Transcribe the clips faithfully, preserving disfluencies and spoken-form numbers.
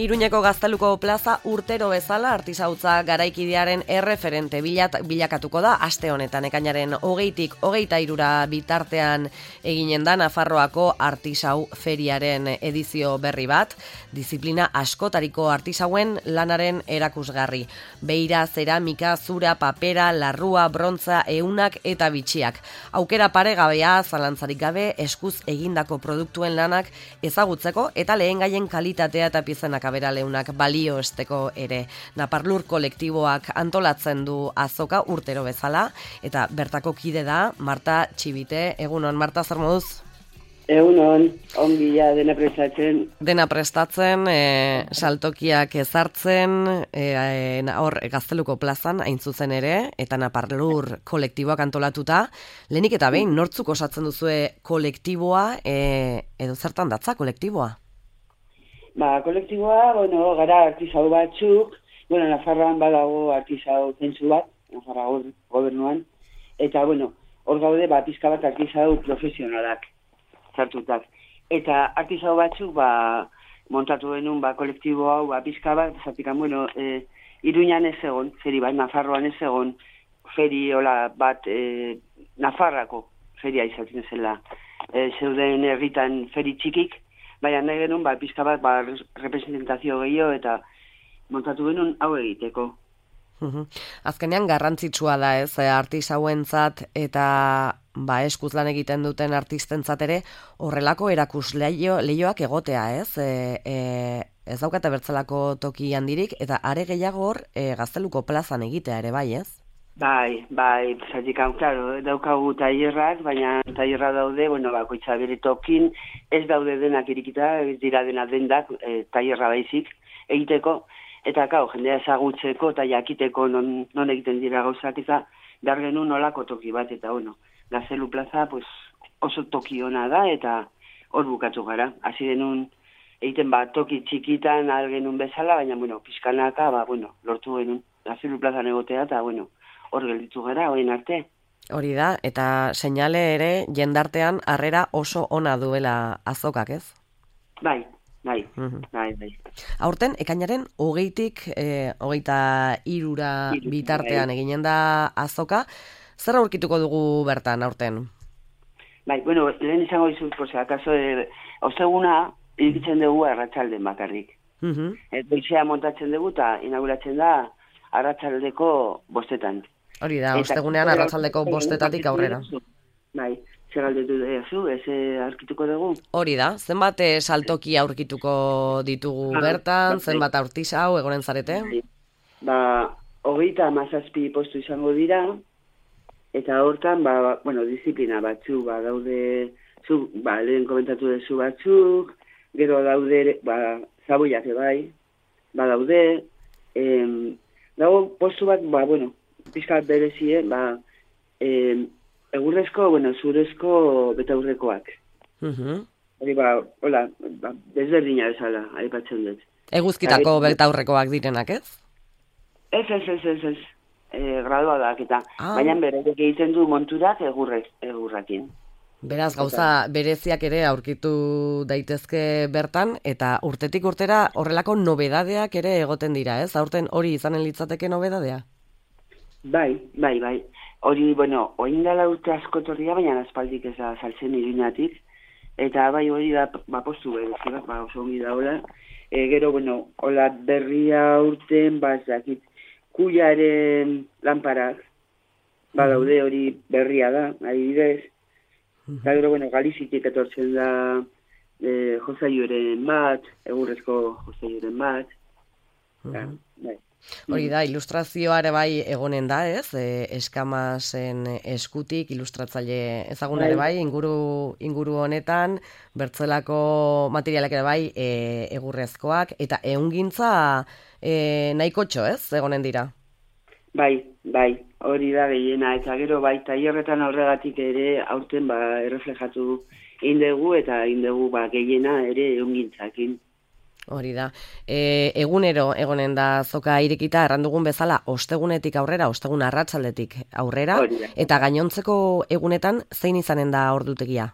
Iruñeko Gazteluko plaza urtero bezala artisautza garaikidearen erreferente bilat, bilakatuko da aste honetan ekainaren hogeitik hogeita hirura bitartean eginen da Nafarroako artisau feriaren edizio berri bat, disiplina askotariko artisauen lanaren erakusgarri. Beira, zeramika, zura, papera, larrua, brontza, eunak eta bitxiak. Aukera paregabea, zalantzarik gabe, eskuz egindako produktuen lanak ezagutzeko eta lehengaien kalitatea eta pizenak aberaleunak balio esteko ere. Naparlur kolektiboak antolatzen du azoka urtero bezala, eta bertako kide da Marta Txibite. Egunon, Marta, zer moduz? Egunon, ongi ja dena prestatzen. Dena prestatzen, e, saltokiak ezartzen, e, hor Gazteluko plazan, hain zuzen ere, eta Naparlur kolektiboak antolatuta. Lehenik eta behin, nortzuk osatzen duzue kolektiboa, e, edo zertan datza kolektiboa? Ba, kolektiboa, bueno, gara artisau batzuk, bueno, Nafarroan badago artisau zentzu bat, Nafarroa gobernuan, eta, bueno, hor gaude, ba, pizka bat artisau profesionalak sartutak. Eta artisau batzuk, ba, montatu denun, ba, kolektibo hau, ba, pizka bat, zatikan, bueno, e, Iruñan ez egon, feri bat, Nafarroan ez egon, feri, hola, bat, e, Nafarrako feria izaten zela, e, zeuden herritan feri txikik, baina nahi genuen, ba, pizka bat, ba, representazio gehiago eta montatu genuen hau egiteko. Uhum. Azkenean garrantzitsua da, ez, artisauentzat eta ba, eskuz lan egiten duten artistentzat ere horrelako erakus leio, leioak egotea, ez? E, e, ez daukate bertzelako toki handirik eta are gehiago hor e, Gazteluko plazan egitea ere bai, ez? Bai, bai, zatik hau, klaro, daukagu tailerrak, baina tailerra daude, bueno, bakoitza bere tokin, ez daude denak irikita, ez dira dena dendak, e, tailerra baizik egiteko, eta kau, jendea ezagutzeko eta jakiteko non, non egiten dira gauzak, eta behar genuen nolako toki bat, eta bueno, Gaztelu plaza pues, oso toki ona da, eta hor bukatu gara. Hasi genuen egiten bat toki txikitan ahal genuen bezala, baina, bueno, pizkanaka, ba, bueno, lortu genuen Gaztelu plazan egotea, eta, bueno, hor gelditu gara, orain arte. Hori da, eta seinale ere jendartean harrera oso ona duela azokak, ez? Bai, bai, Mhm. bai, bai. Aurten, ekainaren hogeitik, e, hogeita hirura Hiru, bitartean bai. eginen da azoka, zer aurkituko dugu bertan aurten? Bai, bueno, lehen izango dizut, por si acaso, e, osteguna, irikitzen dugu arratsalden bakarrik. Mhm. Et goizea montatzen dugu eta inauguratzen da arratsaldeko bostetan. Hori da, Eta ostegunean gero- arratsaldeko bostetatik aurrera. Bai, zer galdetu duzu, ez eh, aurkituko dugu? Hori da, zenbat eh, saltoki aurkituko ditugu Ah, bertan, bai. zenbat aurtisau egonen zarete? Ba, hogeita hamazazpi postu izango dira, eta hortan, ba, bueno, disiplina batzu, ba, daude, zu, ba, lehen komentatu duzu batzuk, gero daude, ba, zaboiak bai, ba, daude, em, dago postu bat, ba, bueno, pizka bat berezie, ba, em, egurrezko, bueno, zurezko betaurrekoak. Mhm. Hori, ba, hola, ba, desberdina bezala, aipatzen dut. Eguzkitako Bai. betaurrekoak direnak, ez? Ez, ez, ez, ez, ez. E, graduadak eta, Ah. baina beraiek egiten du monturak egurrez, egurrakin. Beraz, gauza bereziak ere aurkitu daitezke bertan, eta urtetik urtera horrelako nobedadeak ere egoten dira, ez? Aurten hori izanen litzateke nobedadea? Bai, bai, bai. Hori, bueno, oin dela urte askotorria, baina aspaldik ez da saltzen Iruñatik, eta bai hori da, ba, postu berezi bat, ba, oso ongi da, hola. E, gero, bueno, hola berria urten, ba, ez dakit, kuiaren lanparak, ba, daude hori berria da, adibidez. Eta gero, bueno, Galizitik etortzen da e, josaioren bat, egurrezko josaioren bat. Ja, bai. Hori da, ilustrazioa ere bai egonen da, ez? E, eskamasen eskutik, ilustratzaile ezagun ere bai, inguru, inguru honetan, bertzelako materialak ere bai e, egurrezkoak, eta ehungintza e, nahikotxo, ez? Egonen dira. Bai, bai, hori da gehiena, eta gero bai, tailerretan horregatik ere aurten ba, erreflejatu indegu, eta indegu ba, gehiena ere ehungintzakin. Hori da. E, egunero egonen da azoka irekita, erran dugun bezala, ostegunetik aurrera, ostegun arratsaldetik aurrera, Hori da. eta gainontzeko egunetan zein izanen da ordutegia?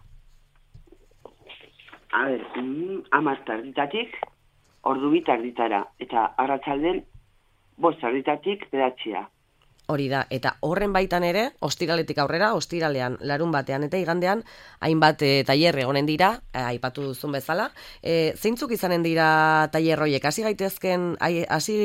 A ber, mm, amar tarditatik, ordu bit arditara, eta arratsalden bost arditatik bedatxia. Hori da, eta horren baitan ere, ostiraletik aurrera, ostiralean, larun batean eta igandean, hainbat e, tailer egonen dira, e, aipatu duzun bezala. E, zeintzuk izanen dira tailer horiek? Hasi gaitezken, hasi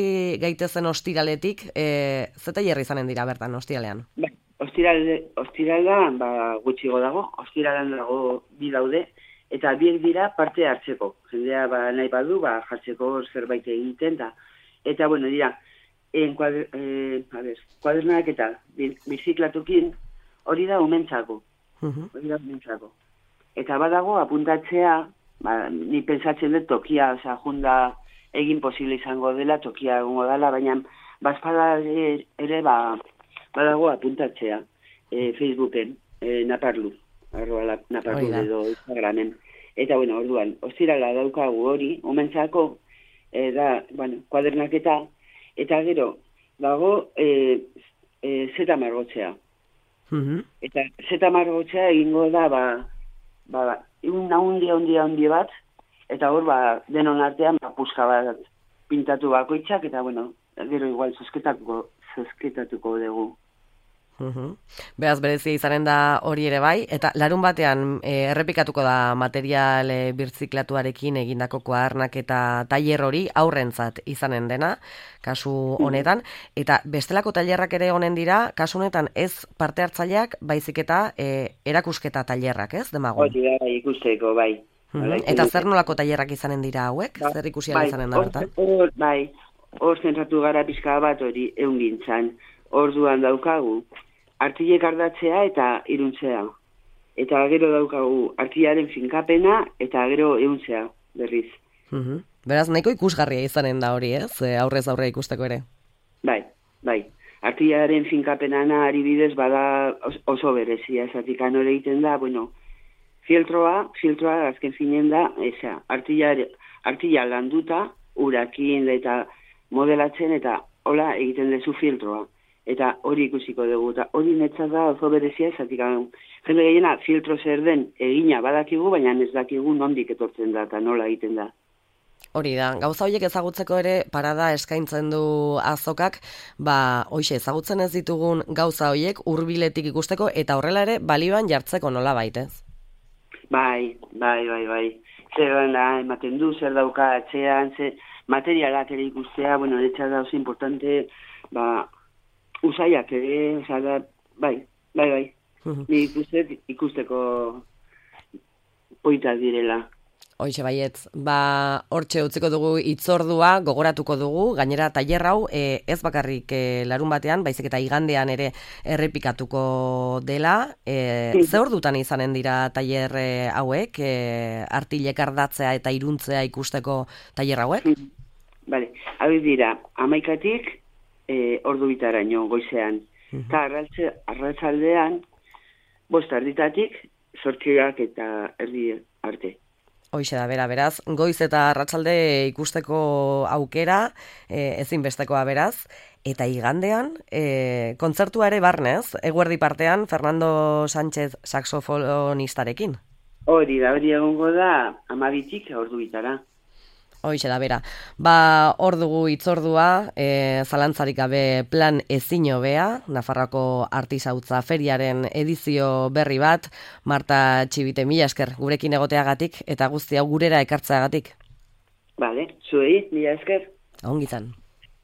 gaitezen ostiraletik, e, ze tailer izanen dira bertan ostiralean? Ba, ostirale, ostiralean, ba, gutxigo dago, ostiralean dago bi daude, eta biek dira parte hartzeko. Jendea ba, nahi badu, ba, jartzeko zerbait egiten, da. Eta, bueno, dira, En kuader, eh, a ver, kuadernak eta biziklatukin hori da umentzako. Uh-huh. Hori da umentzako. Eta badago apuntatzea, ba, ni pensatzen dut tokia, oza, junda egin posible izango dela, tokia egongo dela, baina bazpada ere ba, badago apuntatzea e, Facebooken, e, naparlu, arroa naparlu edo Instagramen. Eta bueno, orduan, ostirala daukagu hori, umentzako, e, da, bueno, kuadernak eta Eta gero, dago e, e, zeta margotzea. Uh-huh. Eta zeta margotzea egingo da, ba, ba, un handi, handi, handi bat, eta hor, ba, denon artean, ba, puska bat pintatu bakoitzak, eta, bueno, gero igual zozketatuko, zozketatuko dugu. Uhum. Beraz, berezia izanen da hori ere bai, eta larun batean e, errepikatuko da material e, birziklatuarekin egindako kuadernak eta tailer hori aurrentzat izanen dena, kasu honetan, eta bestelako tailerrak ere honen dira, kasu honetan ez parte hartzaileak, baizik eta e, erakusketa tailerrak, ez, demagun? Hori da, ikusteko, bai. Uhum. Eta zer nolako tailerrak izanen dira hauek? Ba, zer ikusi bai, izanen da bertan? Or, bai, hor zentratu gara pixka bat hori eungintzan, orduan daukagu, artilek ardatzea eta iruntzea. Eta gero daukagu artilaren finkapena eta gero euntzea berriz. Uh-huh. Beraz, nahiko ikusgarria izanen da hori, ez? Aurrez aurre ikusteko ere. Bai, bai. Artilaren finkapenana ari bidez bada oso berezia, esatik anore egiten da, bueno, filtroa, filtroa azken finen da, eza, artilla, artilla landuta, urakin eta modelatzen eta hola egiten dezu filtroa. Eta hori ikusiko dugu, eta hori netzat da oso berezia esatik. Jende gehiena filtro zer den egina badakigu, baina ez dakigu nondik etortzen da eta nola egiten da. Hori da, gauza horiek ezagutzeko ere parada eskaintzen du azokak, ba, hoxe, ezagutzen ez ditugun gauza horiek hurbiletik ikusteko eta horrela ere balioan jartzeko nola baitez? Bai, bai, bai, bai. Zer da, ematen du, zer dauka atzean, zer materialak ere ikustea, bueno, netzat da oso importante, ba, usaiak ere, oza, da, bai, bai, bai. Uh-huh. Ni ikustet, ikusteko poita direla. Hoixe baietz, ba, hortxe utziko dugu itzordua, gogoratuko dugu, gainera tailer hau e, ez bakarrik e, larun batean, baizik eta igandean ere errepikatuko dela. E, ze ordutan izanen dira tailer e, hauek, e, artilek ardatzea eta iruntzea ikusteko tailer hauek? Bale, hau dira, amaikatik, E, ordu bitaraino goizean. Eta uh-huh. arratzaldean, bost arditatik, zortziak eta erdi arte. Hoixe da, bera, beraz, goiz eta arratsalde ikusteko aukera, e, ezinbestekoa beraz, eta igandean, e, kontzertua ere barnez, eguerdi partean, Fernando Sánchez saxofonistarekin. Hori da, hori egongo da, amabitik ordu bitara. Hoixe da, bera. Ba, hor dugu itzordua, e, zalantzarik gabe plan ezin hobea, Nafarroako Artisautza Feriaren edizio berri bat, Marta Txibite, mila esker, gurekin egoteagatik, eta guzti hau gurera ekartzeagatik. Bale, zuei, mila esker. Ongizan.